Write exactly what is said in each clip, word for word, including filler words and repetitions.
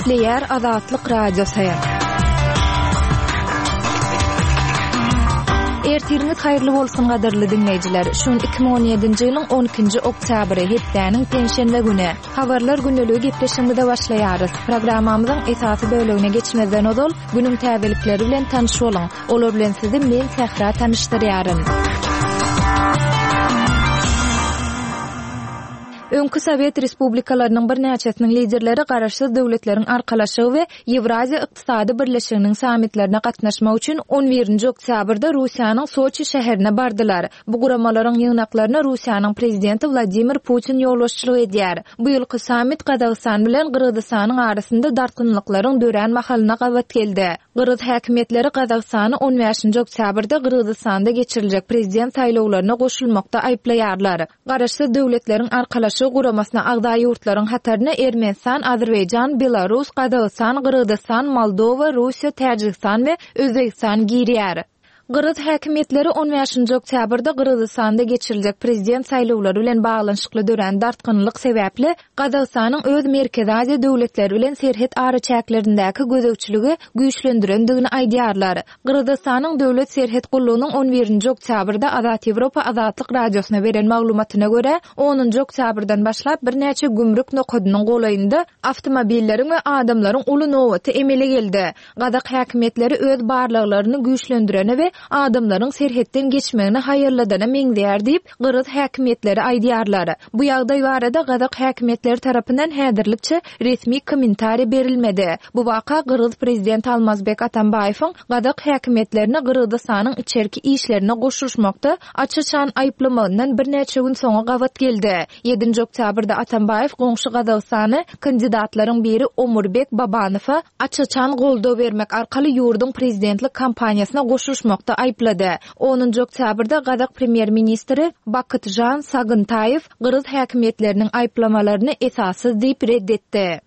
Gepleýär Azatlyk Radiosy. Ertiriňiz haýyrly bolsun gadyrly diňleýjiler. Şu gün iki müň on ýedinji ýylyň on ikinji oktýabry, hepdäniň penşenbe güni. Habarlar gündeligi gepleşigimize başlaýarys. Programmamyzyň esasy bölegine geçmezden ozal, günüň täzelikleri bilen tanyş boluň. Olar bilen sizi men Sähra tanyşdyrýaryn. Öňki Sowet respublikalarynyň birnäçesiniň liderleri Garaşsyz Döwletleriň Arkalaşygy we Ýewraziýa Ykdysady Birleşiginiň sammitlerine gatnaşmak üçin on birinji oktýabrda Russiýanyň Soçi şäherine bardylar. Bu guramalaryň ýygnaklaryna Russiýanyň prezidenti Wladimir Putin ýolbaşçylyk edýär. Bu ýylky sammit Gazagystan bilen Gyrgyzystanyň arasynda dartgynlyklaryň dörän mahalyna gabat geldi. Gyrgyz häkimiýetleri Gazagystany on bäşinji oktýabrda Gyrgyzystanda geçiriljek prezident saýlawlaryna goşulmakda aýyplaýarlar. Garaşsyz Döwletleriň Arkalaşygy guramasyna agza ýurtlaryň hataryna Ermenistan, Azerbaýjan, Belarus, Gazagystan, Gyrgyzystan, Moldowa, Russiýa, Täjigistan we Özbegistan girýär. Gyrgyz häkimiýetleri on bäşinji oktýabrda Gyrgyzystanda geçiriljek prezident saýlawlary bilen baglanyşykly dörän dartgynlyk sebäpli Gazagystanyň öz Merkezi Aziýa döwletleri bilen serhet araçäklerindäki gözegçiligi güýçlendirendigini aýdýarlar. Gyrgyzystanyň Döwlet serhet gullugynyň on birinji oktýabrda Azat Ýewropa Azatlyk Radiosyna beren maglumatyna görä, onunjy oktýabrdan başlap birnäçe gümrük nokadynyň golaýynda awtomobilleriň we adamlaryň uly nobaty emele geldi. Gazak häkimiýetleri öz barlaglaryny güýçlendirene we adamlaryň serhetden geçmegini haýalladana meňzeýär diýip, gyrgyz häkimiýetleri aýdýarlar. Bu ýagdaý barada gazak häkimiýetleri tarapyndan häzirlikçe resmi kommentariý berilmedi. Bu waka gyrgyz prezidenti Almazbek Atambaýewiň gazak häkimiýetlerini Gyrgyzystanyň içerki işlerine goşulyşmakda aç-açan aýyplamagyndan birnäçe gün soňa gabat geldi. Ýedinji oktýabrda Atambaýew goňşy Gazagystany kandidatlaryň biri Omurbek Babanowa aç-açan goldaw bermek arkaly ýurduň prezidentlik kampaniýasyna goşulyşmakda aýyplady. Onunjy oktýabrda gazak premýer-ministri Bakytžan Sagyntaýew gyrgyz häkimiýetleriniň aýyplamalaryny esassyz diýip red etdi.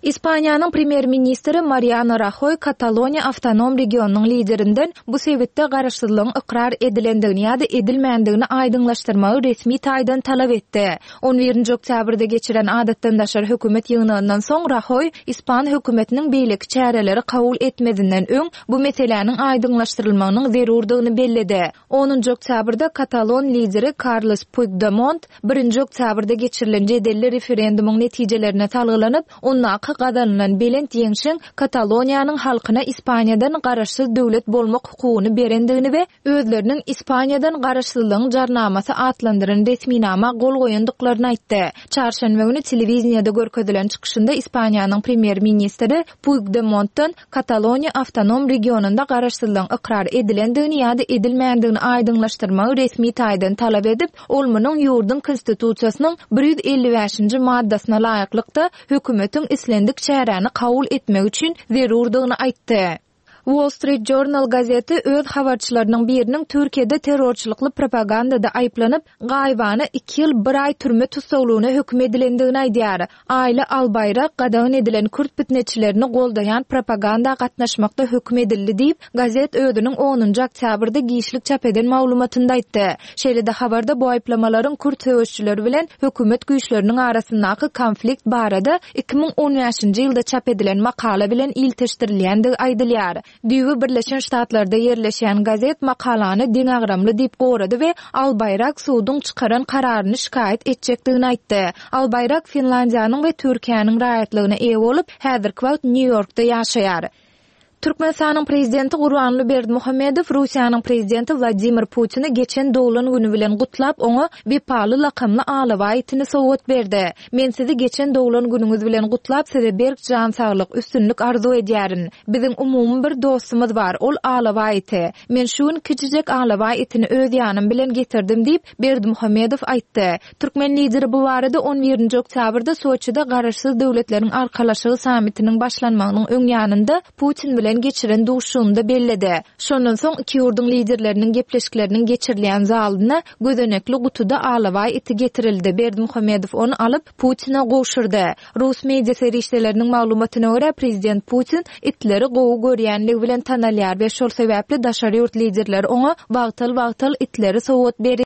Ispaniýanyň premýer-ministri Mariano Rahoý Kataloniýa awtonom regionynyň liderinden bu sebitde garaşsyzlygyň ykrar edilendigini ýa-da edilmändigini aýdyňlaşdyrmagy resmi taýdan talap etdi. On birinji oktýabrda geçiren adatdan daşary hökümet ýygnagyndan soň Rahoý ispan hökümetiniň beýleki çäreleri kabul etmezinden öň bu meseläniň aýdyňlaşdyrylmagynyň zerurdygyny belledi. Onunjy oktýabrda katalon lideri Karles Puigdemont birinji oktýabrda geçirilen jedelli referendumyň netijelerine salgylanyp, ondaky gazanylan belent ýeňşiň Kataloniýanyň halkyna Ispaniýadan garaşsyz döwlet bolmak hukugyny berendigini we özleriniň Ispaniýadan garaşsyzlygyň jarnamasy atlandyran resminama gol goýandyklaryny aýtdy. Çarşenbe güni telewideniýede görkezilen çykyşynda Ispaniýanyň premýer-ministri Puigdemontdan Kataloniýa awtonom regionynda garaşsyzlygyň ykrar edilendigini ýa-da edilmändigini aýdyňlaşdyrmagy resmi taýdan talap edip, ol munuň ýurduň konstitusiýasynyň bir ýüz elli bäşinji maddasyna laýyklykda hökümetiň islendik çäräni kabul etmek üçin zerurdygyny aýtdy. Wall Street Journal gazeti öz habarçylarynyň biriniň Türkiýede terrorçylykly propagandada aýyplanyp, gaýybana iki ýyl bir aý türme tussaglygyna höküm edilendigini aýdýar. Aýly Albaýrak gadagan edilen kürt pitneçilerini goldaýan propaganda gatnaşmakda höküm edildi diýip, gazet özüniň onunjy oktýabrda giçlik çap eden maglumatynda aýtdy. Şeýle-de habarda bu aýyplamalaryň kürt söweşçileri bilen hökümet güýçleriniň arasyndaky konflikt barada iki müň on bäşinji ýylda çap edilen makala bilen ilteşdirilýändigi aýdylýar. Düýbi Birleşen Ştatlarda ýerleşýän gazet makalany deňagramly diýip gorady we Albaýrak suduň çykaran kararyny şikaýat etjekdigini aýtdy. Albaýrak Finlandiýanyň we Türkiýäniň raýatlygyna eýe bolup, häzirki wagt Nýu-Ýorkda ýaşaýar. Türkmenistanyň prezidenti Gurbanguly Berdimuhamedow Russiýanyň prezidenti Wladimir Putini geçen doglan güni bilen gutlap, oňa Wepaly lakamly alabaý itini sowgat berdi. Men sizi geçen doglan günüňiz bilen gutlap, size berk jan saglyk, üstünlik arzuw edýärin. Biziň umumy bir dostumyz bar, ol alabaý iti. Men şu gün kiçijek alabaý itini öz ýanym bilen getirdim diýip, Berdimuhamedow aýtdy. Türkmen lideri bu barada on birinji oktýabrda Soçide Garaşsyz Döwletleriň Arkalaşygy sammitiniň başlanmagynyň öň ýanynda Putin bilen geçiren duşuşygynda belledi. Şondan soň iki ýurduň liderleriniň gepleşikleriniň geçirilýän zalyna gözenekli gutuda alabaý iti getirildi. Berdimuhamedow ony alyp, Putine gowşurdy. Rus media serişdeleriniň maglumatyna görä, prezident Putin itleri gowy görýänligi bilen tanalýar we şol sebäpli daşary ýurt liderleri oňa wagtal-wagtal itleri sowgat berýär.